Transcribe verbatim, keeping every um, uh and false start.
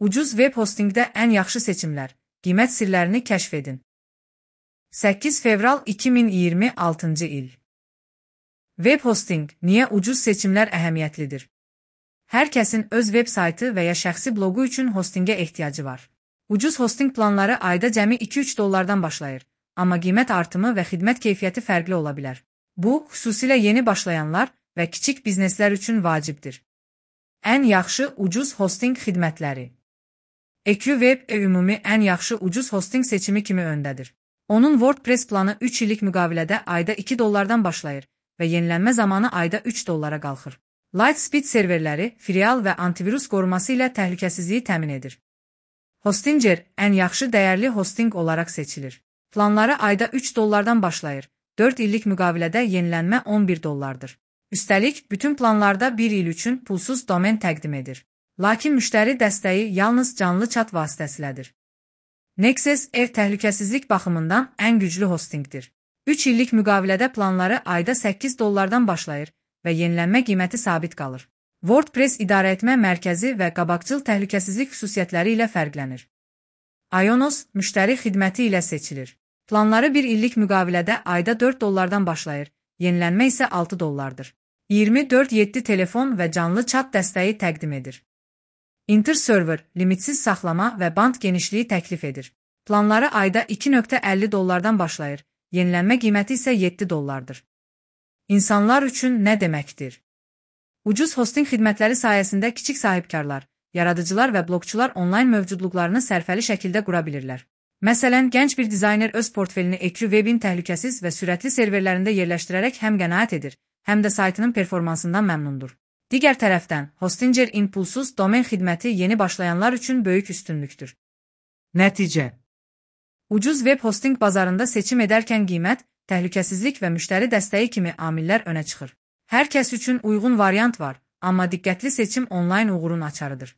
Ucuz web hostingdə ən yaxşı seçimlər, qiymət sirlərini kəşf edin. səkkiz fevral iki min iyirmi altıncı il. Web hosting, niyə ucuz seçimlər əhəmiyyətlidir? Hər kəsin öz web saytı və ya şəxsi bloqu üçün hostingə ehtiyacı var. Ucuz hosting planları ayda cəmi iki üç dollardan başlayır, amma qiymət artımı və xidmət keyfiyyəti fərqli ola bilər. Bu, xüsusilə yeni başlayanlar və kiçik bizneslər üçün vacibdir. Ən yaxşı ucuz hosting xidmətləri. EQWeb ümumi ən yaxşı ucuz hosting seçimi kimi öndədir. Onun WordPress planı üç illik müqavilədə ayda iki dollardan başlayır və yenilənmə zamanı ayda üç dollara qalxır. Lightspeed serverləri, filial və antivirus qoruması ilə təhlükəsizliyi təmin edir. Hostinger ən yaxşı dəyərli hosting olaraq seçilir. Planları ayda üç dollardan başlayır, dörd illik müqavilədə yenilənmə on bir dollardır. Üstəlik, bütün planlarda bir il üçün pulsuz domen təqdim edir. Lakin müştəri dəstəyi yalnız canlı chat vasitəsilədir. Nexus ev təhlükəsizlik baxımından ən güclü hostingdir. üç illik müqavilədə planları ayda səkkiz dollardan başlayır və yenilənmə qiyməti sabit qalır. WordPress idarəetmə mərkəzi və qabaqcıl təhlükəsizlik xüsusiyyətləri ilə fərqlənir. Ionos müştəri xidməti ilə seçilir. Planları bir illik müqavilədə ayda dörd dollardan başlayır, yenilənmə isə altı dollardır. iyirmi dörd yeddi telefon və canlı chat dəstəyi təqdim edir. Interserver limitsiz saxlama və band genişliyi təklif edir. Planları ayda iki nöqtə əlli dollardan başlayır, yenilənmə qiyməti isə yeddi dollardır. İnsanlar üçün nə deməkdir? Ucuz hosting xidmətləri sayəsində kiçik sahibkarlar, yaradıcılar və bloqçular onlayn mövcudluqlarını sərfəli şəkildə qura bilirlər. Məsələn, gənc bir dizayner öz portfelini EQWebin təhlükəsiz və sürətli serverlərində yerləşdirərək həm qənaət edir, həm də saytının performansından məmnundur. Digər tərəfdən, Hostinger impulsuz domen xidməti yeni başlayanlar üçün böyük üstünlükdür. Nəticə. Ucuz web hosting bazarında seçim edərkən qiymət, təhlükəsizlik və müştəri dəstəyi kimi amillər önə çıxır. Hər kəs üçün uyğun variant var, amma diqqətli seçim onlayn uğurun açarıdır.